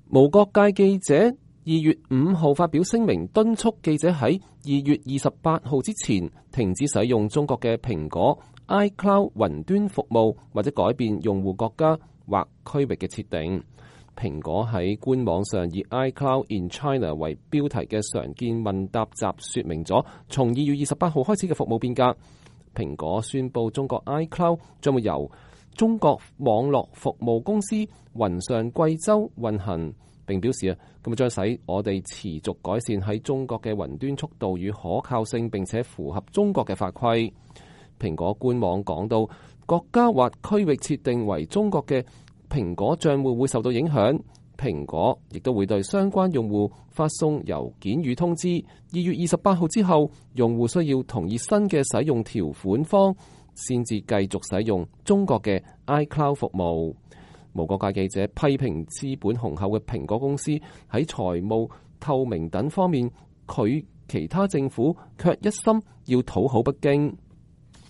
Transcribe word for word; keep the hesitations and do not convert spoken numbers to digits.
無國界記者二月五號發表聲明，敦促記者喺二月二十八號之前停止使用中國嘅蘋果 iCloud 雲端服務，或者改變用戶國家或區域嘅設定。蘋果喺官網上以 iCloud in China 為標題嘅常見問答集說明咗從二月二十八號開始嘅服務變革。蘋果宣布中國 iCloud 將會由中國網絡服務公司雲上貴州運行，並表示啊，咁將使我哋持續改善喺中國嘅雲端速度與可靠性，並且符合中國嘅法規。蘋果官網講到，國家或區域設定為中國嘅蘋果賬戶會受到影響，蘋果亦都會對相關用戶發送郵件與通知。二月二十八號之後，用戶需要同意新嘅使用條款方，先至繼續使用中國嘅 iCloud 服務。無國界記者批評資本雄厚嘅蘋果公司喺財務透明等方面，佢其他政府卻一心要討好北京。